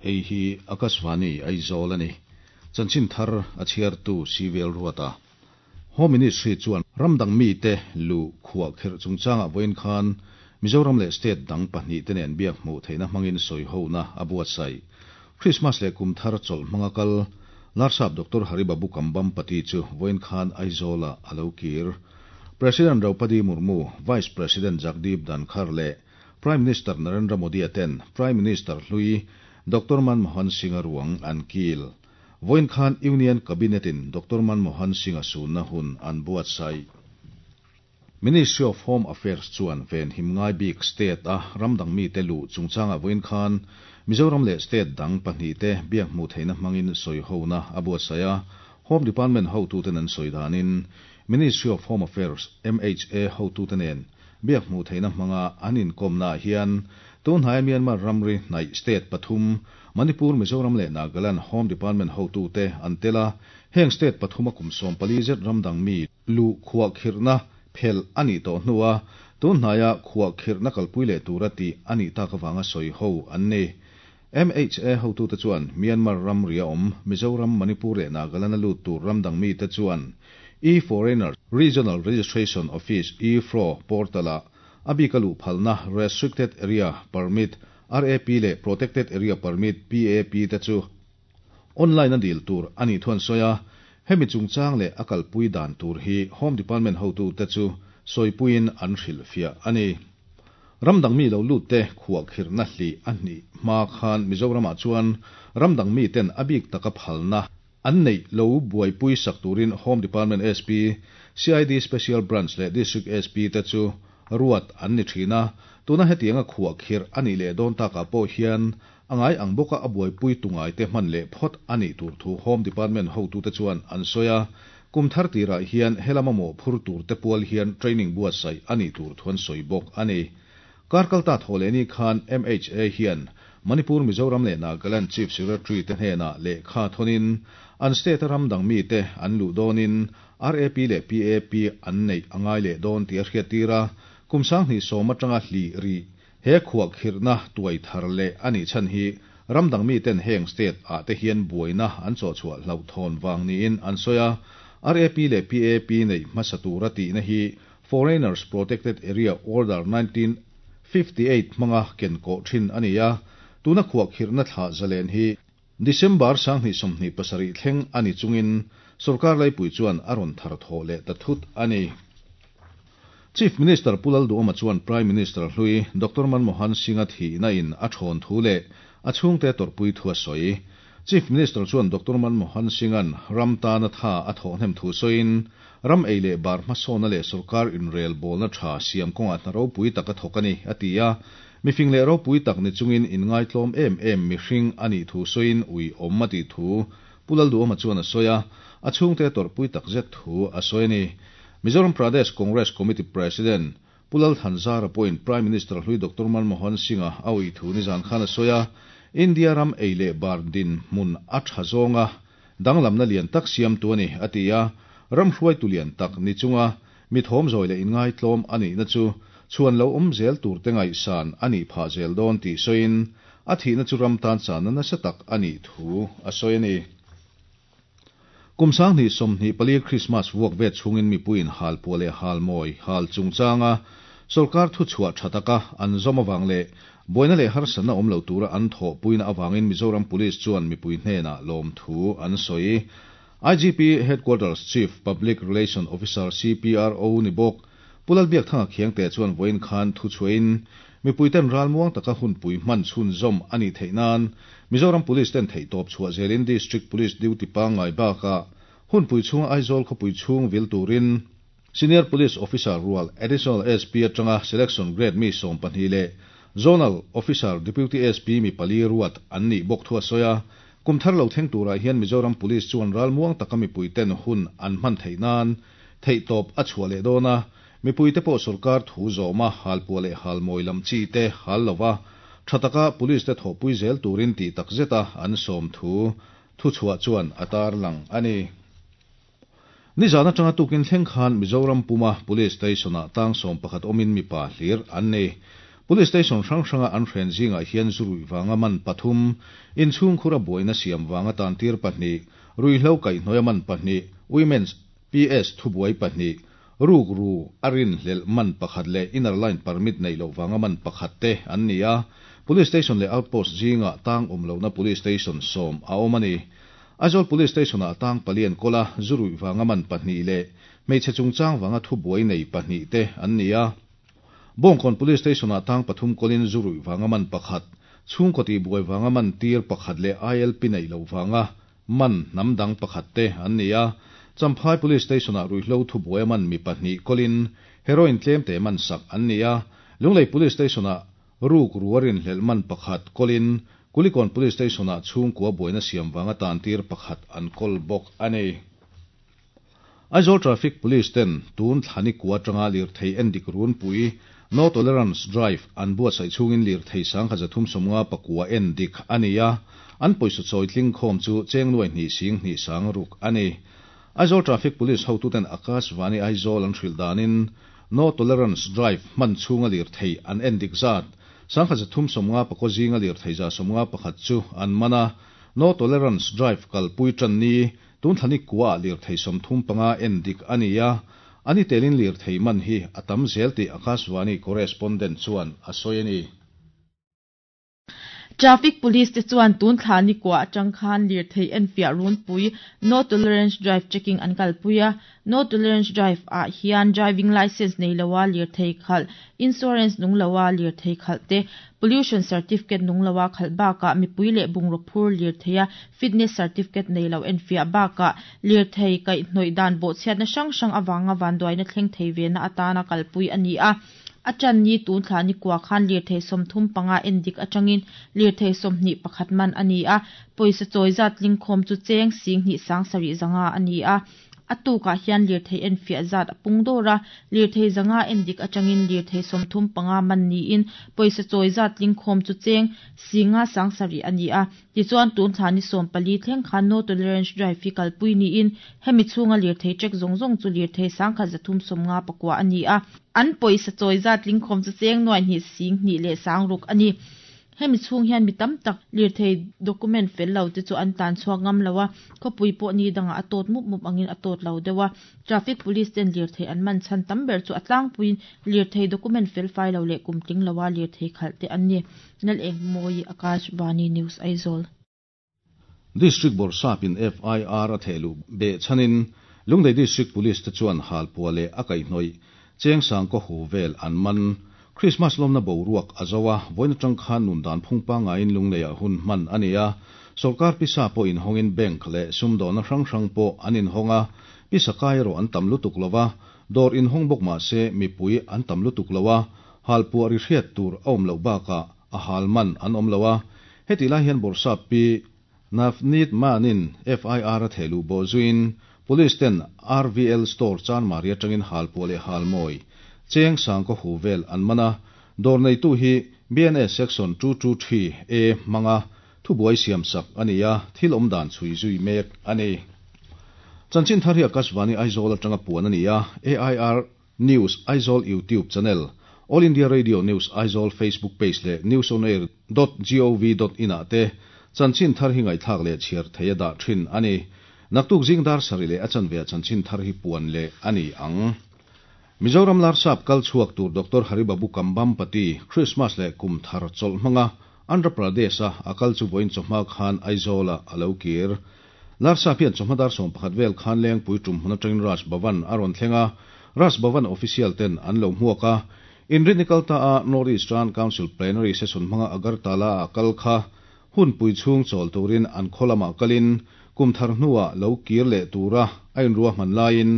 Hei hi Akashvani Aizawl a ni. Chanchin thar a chhiartu Civil Ruata. Home Ministry chuan ramdang mite lu khuah kherh chungchangah vawiin khan Mizoram leh state dang pahnihte nen biak hmuh theihna hmangin sawihona a buatsaih. Krismas leh kum thar chawlh hmanga kal Larsap Doctor Haribabu Kambhampati chu vawiin khan Aizawlah a lo kir. President Draupadi Murmu, Vice President Jagdeep Dhankhar leh Prime Minister Narendra Modi-a ten Prime Minister hlui Doctor Manmohan Singh-a ruang an kil. Vawiin khan Union Cabinet-in Doctor Manmohan Singh-a sunna hun an buatsaih. Ministry of Home Affairs chuan venhim ngai bik state-a ramdang mite luh chungchangah vawiin khan Mizoram leh state dang pahnihte biak hmuh theihna hmangin sawihona a buatsaih a. Home Department hotuten an sawi danin Ministry of Home Affairs, MHA, hotute nen biak hmuh theihna hmanga an inkawmnaah hian tunhnaia Myanmar ramri hnaih state pathum, Manipur, Mizoram leh Nagaland Home Department hotute an tel a, heng state pathuma kum 14 zet ramdang mi luh khuahkhirhna phelh a nih tawh hnua tunhnaia khuahkhirhna kalpui leh tura tih a nih tak avanga sawi ho an ni. MHA hotute chuan Myanmar ramria awm Mizoram, Manipur leh Nagaland-a lut tur ramdang mite chuan E-Foreigner Regional Registration Office, E-FRO, portal-ah a bika luh phalna Restricted Area Permit, RAP, leh Protected Area Permit, PAP, te chu online-a dil tur a nih thu an sawi a. Hemi chungchang leh a kalpui dan tur hi Home Department hotute chu sawipuiin an hrilhfiah a ni. Ramdang mi lo lut te khuahkhirhna hlih a hnih hma khan Mizoramah chuan ramdang miten a bik taka phalna an neih lo buaipui sak turin Home Department SP, CID Special Branch leh District SP te chu ruat an ni thin a. Tuna hetianga khuahkhirh a nih leh dawn takah pawh hian a ngai ang bawka a buaipui tu ngaite hman leh phawt a nih tur thu Home Department hotute chuan an sawi a. Kum thar tirah hian helama mawhphur turte pual hian training buatsaih a nih tur thu an sawi bawk a ni. Kar kalta thaw leh ni khan MHA hian Manipur, Mizoram leh Nagaland Chief Secretary te hnenah lehkha thawnin an state-a ram dang mite an luh dawnin RAP leh PAP an neih a ngai leh dawn tih a hriattir a, kum 2010 atanga hlih rih he khuahkhirhna tuai thar leh a nih chhan hi ram dang miten heng state ah te hian buaina an chawhchhuah hlauhthawn vang niin an sawi a. RAP leh PAP neih hmasa tura tihna hi Foreigners Protected Area Order 1958 hmanga ken kawh thin a ni a, tuna khuahkhirhna thlah zalen hi December 2027 thleng a ni chungin sorkar laipui chuan a rawn thar thawh leh ta thut a ni. Chief Minister Pu Lalduhoma chuan Prime Minister hlui Doctor Manmohan Singh-a thihna in a thawn thu leh a chhungte tawrhpui thu a sawi. Chief Minister chuan Doctor Manmohan Singh-a'n ram tana tha a thawh hnem thu sawiin, ram ei leh bar hmasawnna leh sorkar inrel bawlna tha siam kawngah hna ropui tak a thawk a ni, a ti a. Mifing leh ropui tak ni chungin inngaitlawm em em mihring a nih thu sawiin ui awm a tih thu Pu Lalduhoma chuan a sawi a, a chhungte tawrhpui tak zet thu a sawi a ni. Mizoram Pradesh Congress Committee President Pu Lalthanzara pawhin Prime Minister hlui Doctor Manmohan Singh-a a ui thu nizan khan a sawi a, India ram ei leh bar dinhmun a tha zawnga danglamna lian tak siamtu a ni, a ti a. Ram hruaitu lian tak ni chunga mi thawmzawi leh inngaitlawm a nihna chu chhuan lo awm zel turte ngaihsan a nih phah zel dawn tih sawiin, a thihna chu ram tan channa nasa tak a nih thu a sawi a ni. Kum 2024 Krismas vuak vet chhungin mipuiin halpuah leh halmawi hal chungchanga sorkar thuchhuah tha taka an zawm avang leh buaina leh harsatna awm lo tura an thawhpuina avangin Mizoram Police chuan mipui hnenah lawmthu an sawi. IGP Headquarters Chief Public Relation Officer, CPRO, ni bawk Pu Lalbiakthanga Khiangte chuan vawiin khan thuchhuahin mipuiten ralmuang taka hunpui hman chhunzawm a nih theih nan Mizoram Police ten theihtawp chhuah zelin District Police duty pangngai bakah hunpui chhunga Aizawl khawpui chhung vil turin Senior Police Officer rual Additional SP atanga Selection Grade mi 12 leh Zonal Officer Deputy SP mi pali ruat an nih bawk thu a sawi a. Kum thar lo thleng turah hian Mizoram Police chuan ralmuang taka mipuiten hun an hman theih nan theihtawp a chhuah leh dawn a, mipuite pawh sorkar thu zawma halpuah leh halmawi lam chi te hal lova tha taka police te thawhpui zel turin tih tak zeta an sawm thu thuchhuah chuan a tarlang a ni. Nizan atanga tukin thleng khan Mizoram puma Police Station-ah tang 11 awmin mipa hlir an ni. Police station hrang hranga an hren zingah hian zu ruih vanga man pathum, inchhungkhura buaina siam vanga tantir pahnih, ruihhlo kaihhnawih a man pahnih, Women's PS thubuai pahnih, rukru a rinhlelh man pakhat leh inner line permit neih loh vanga man pakhat te an ni a. Police station leh outpost zingah tang awm lohna police station sawm a awm a ni. Aizawl Police Station-ah tang pali an kawl a, zu ruih vanga man pahnih leh hmeichhe chungchang vanga thubuai nei pahnih te an ni a. Bawngkawn Police Station-ah tang pathum kawlin zu ruih vanga man pakhat, chhungkaw tihbuai vanga man tir pakhat leh ILP neih loh vanga man hnam dang pakhat te an ni a. Champhai Police Station-ah ruihhlo thubuai a man mi pahnih kawlin heroin tlemte man sak an ni a. Lunglei Police Station-ah ruk ru a rinhlelh man pakhat kawlin Kulikawn Police Station-ah chhungkua buaina siam vanga tantir pakhat an kawl bawk a ni. Aizawl Traffic Police ten tun thlani kua atanga lirthei endik runpui, No Tolerance Drive, an buatsaih chhungin lirthei 1359 endik a ni a, an pawisa chawi tling khawm chu cheng nuai hnih sing hnih sang ruk a ni. Aizawl Traffic Police hotuten Akashvani Aizawl an hrilh danin No Tolerance Drive hman chhunga lirthei an endik zat 1354 zinga lirthei 151 chu an man a, No Tolerance Drive kalpui tan ni Tun thlani kuaah lirthei 35 en dik a ni a, a ni telin lirthei man hi a tam zel tih Akashvani correspondent chuan a sawi a ni. Traffic Police te chuan tun thla ni kuah atang khan lirthei enfiah runpui No Tolerance Drive Checking an kalpui a. No Tolerance Drive ah hian driving licence nei loa lirthei khalh, insurance nung loa lirthei khalh te, Pollution Certificate nung loa khalh bakah mipui leh bungraw phur lirtheia fitness certificate nei lo enfiah bakah lirthei kaihhnawih dan bawhchhiatna hrang hrang avanga vanduaina thleng thei vena atana kalpui a ni a. A tan ni tun thla ni kua khan lirthei 35 endik atangin lirthei 21 man a ni a, pawisa chawi zat tlingkhawm chu cheng 75 700 a ni a. A tukah hian lirthei enfiah zat a pung dawr a, lirthei 500 endik atangin lirthei 35 man niin pawisa chawi zat tlingkhawm chu cheng 5 700 a ni a. Tichuan, tun thla ni 14 thleng khan No Tolerance Drive hi kalpui niin hemi chhunga lirthei check zawng zawng chu lirthei 1359 a ni a. An pawisa chawi zat tlingkhawm chu cheng 2 5 6,000 a ni. Hemi chhung hian mi tam tak lirthei document fel lo te chu an tlan chhuak ngam lo a, khawpui pawh ni dangah a tawt mup mup angin a tawt lo deuh a. Traffic Police ten lirthei an man chhan tam ber chu a tlangpuiin lirthei document fel fai lo leh kum tling loa lirthei khalh te an ni. Lalengmawi, Akashvani News, Aizawl. District Bawrhsapin FIR a thehluh beh chhanin Lunglei District Police te chuan halpuah leh a kaihhnawih cheng sang kaw hu vel an man. Krismas lawmna boruak a zo a, vawiin atang khan nun dan phung pangaiin Lungleiah hun hman a ni a. Sawrkar pisa pawh inhawngin bank leh sumdawhna hrang hrang pawh an inhawng a, pisa kai erawh an tam lutuk lo a, dawr inhawng bawk mah se mipui an tam lutuk lo a, halpuah ri hriat tur a awm loh bakah a hal man an awm lo a. Hetih lai hian Bawrhsap Pi Navneet Mann-in FIR a thehluh bawh zuiin Police ten RVL Store Chanmari atangin halpuah leh halmawi cheng sang kaw hu vel an man a, dawr neitu hi BNS Section 223 A hmanga thubuai siamsak a ni a, thil awmdan chhui zui mek a ni. Chanchin thar hi Akashvani Aizawl atanga puan a ni a, AIR News Aizawl YouTube channel, All India Radio News Aizawl Facebook page leh newsonair dot gov dot in ah te chanchin thar hi ngaihthlak leh chhiar thei a dah thin a ni. Naktuk zing dar sarih leh a chanve ah chanchin thar hi puan leh a ni ang. Mizoram Larsap kal chhuak tur Doctor Haribabu Kambhampati Christmas leh kum thar chawlh hmanga Andhra Pradesh a a kal chu vawiin chawhma khan Aizawl ah a lo kir. Larsap hian chawhma dar 11 vel khan Lengpui tum hmun atangin Raj Bhavan a rawn thleng a, Raj Bhavan official ten an lo hmuak a. Inrinni kal ta a North Eastern Council Plenary Session hmanga Agartala a kal kha hunpui chhung chawl turin an khaw lamah kalin kum thar hnuah lo kir leh tura a inruahman laiin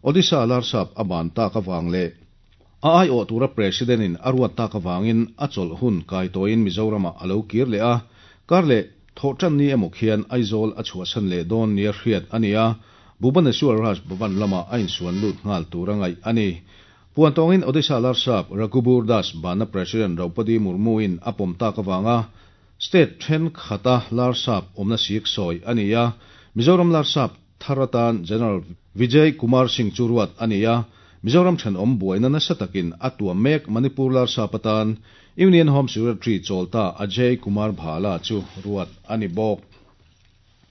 Odisha Larsap a ban tak avang leh a aiawh tura President in a ruat tak avangin a chawlh hun kai tawhin Mizoramah a lo kir leh a, kar leh thawhtan ni emaw khian Aizawl a chhuahsan leh dawn nia hriat a ni a, Bhubaneswar Raj Bhavan lamah a insuan lut nghal tur a ngaih a ni. Puan tawngin Odisha Larsap Raghubur Das banna President Draupadi Murmu in a pawm tak avanga state thenkhat a Larsap awmna sik sawi a ni a, Mizoram Larsap thar atan General Vijay Kumar Singh chu ruat a ni a, Mizoram thenawm buaina nasa takin a tuam mek Manipur Larsap atan. Union Home Secretary chawlta Ajay Kumar Bhalla chu ruat a ni bawk.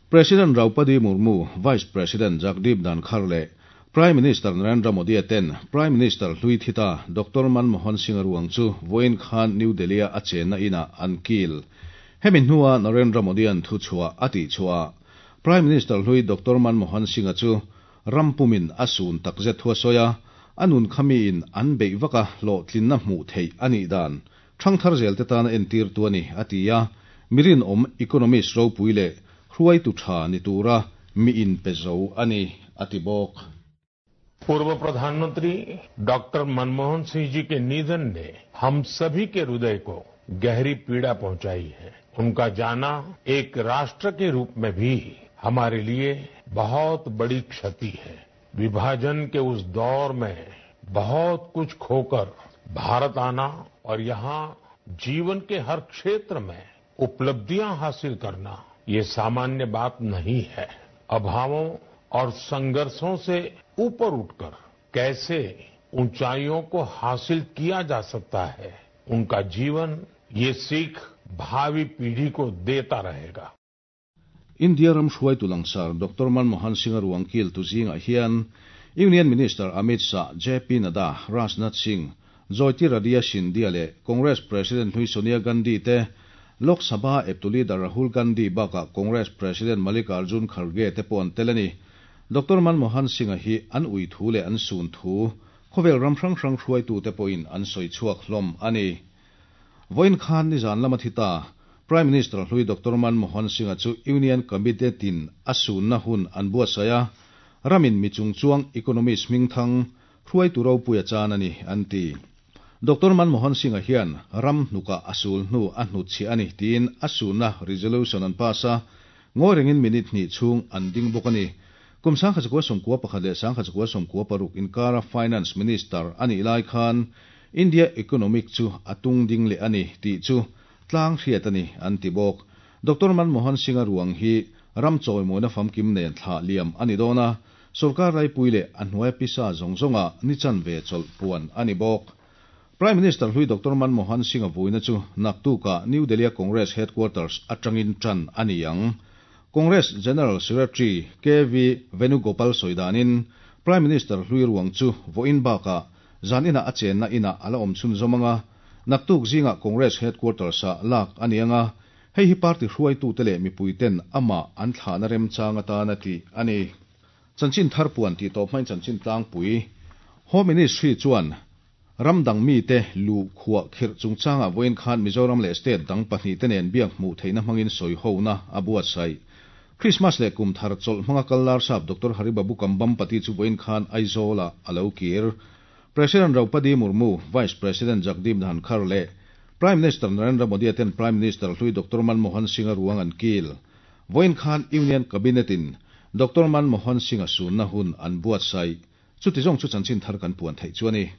President Draupadi Murmu, Vice President Jagdeep Dhankhar leh Prime Minister Narendra Modi ten Prime Minister hlui thita Doctor Manmohan Singh ruang chu vawiin khan New Delhi-a a chenna inah an kil. Hemi hnua Narendra Modi-a'n thuchhuah a tihchhuah ah Prime Minister hlui Doctor Manmohan Singh-a chu ram pumin a sun takzet thu a sawi a, a nun kha miin an beih vaka hlawhtlinna hmuh theih a nih dan ṭhangthar zelte tana entirtu a ni, a ti a, mi rinawm economist ropui leh hruaitu ṭha ni tura mi inpe zo a ni, a ti bawk. पूर्व प्रधानमंत्री डॉक्टर मनमोहन सिंह जी के निधन ने हम सभी के हृदय को गहरी पीड़ा पहुंचाई है। उनका जाना एक राष्ट्र के रूप में भी हमारे लिए बहुत बड़ी क्षति है। विभाजन के उस दौर में बहुत कुछ खोकर भारत आना और यहां जीवन के हर क्षेत्र में उपलब्धियां हासिल करना ये सामान्य बात नहीं है। अभावों और संघर्षों से ऊपर उठकर कैसे ऊंचाइयों को हासिल किया जा सकता है, उनका जीवन ये सीख भावी पीढ़ी को देता रहेगा। India ram hruaitu langsar Doctor Manmohan Singh-a ruang kiltu zingah hian Union Minister Amit Shah, JP Nadda, Rajnath Singh, Jyotiraditya Scindia leh Congress President hlui Sonia Gandhi te, Lok Sabha eptu leader Rahul Gandhi bakah Congress President Mallikarjun Kharge te pawh an tel a ni. Doctor Manmohan Singh-a hi an ui thu leh an sun thu khawvel ram hrang hrang hruaitute pawhin an sawi chhuak hlawm a ni. Vawiin khan nizan lama thi ta Prime Minister hlui Doctor Manmohan Singh-a chu Union Cabinet-in a sunna hun an buatsaih a, ramin mi chungchuang economist hmingthang hruaitu ropui a chan a ni, an ti. Doctor Manmohan Singh-a hian ram hnukah a sul hnu a hnutchhiah a ni tiin a sunna resolution an pass a, ngawi rengin minute hnih chhung an ding bawk a ni. Kum 1991 leh 1996 inkara Finance Minister a nih lai khan India economic chu a tung ding leh a ni tih chu tlang hriat a ni, an ti bawk. Doctor Manmohan Singh-a ruang hi ram chawimawina famkim nen thlah liam a ni dawn a, sorkar laipui leh a hnuaia pisa zawng zawnga ni chanve chawlh puan a ni bawk. Prime Minister hlui Doctor Manmohan Singh-a vuina chu naktukah New Delhi-a Congress Headquarters atangin tan a ni ang. Congress General Secretary KV Venugopal sawi danin Prime Minister hlui ruang chu vawiin bakah zan inah a chenna inah a la awm chhunzawm ang a, naktuk zingah Congress Headquarters-ah lak a ni ang a, hei hi party hruaitute leh mipuiten amah an thlahna remchang atana tih a ni. Chanchin thar puan tih tawp hmain chanchin tlangpui Home Ministry chuan Ram dang mite luh khuah khirh chungchangah vawiin khan Mizoram leh state dang pahnihte nen biak hmuh theihna hmangin sawihona a buatsaih. Krismas leh kum thar chawlh hmanga kal larsap Doctor Haribabu Kambhampati chu vawiin khan Aizawlah a lo kir. President Draupadi Murmu, Vice President Jagdeep Dhankhar leh Prime Minister Narendra Modi-a ten Prime Minister hlui Doctor Manmohan Singh-a ruang an kil. Vawiin khan Union Cabinet-in Doctor Manmohan Singh-a sunna hun an buatsaih. Chuti zawng chu chanchin thar kan puan theih chu a ni.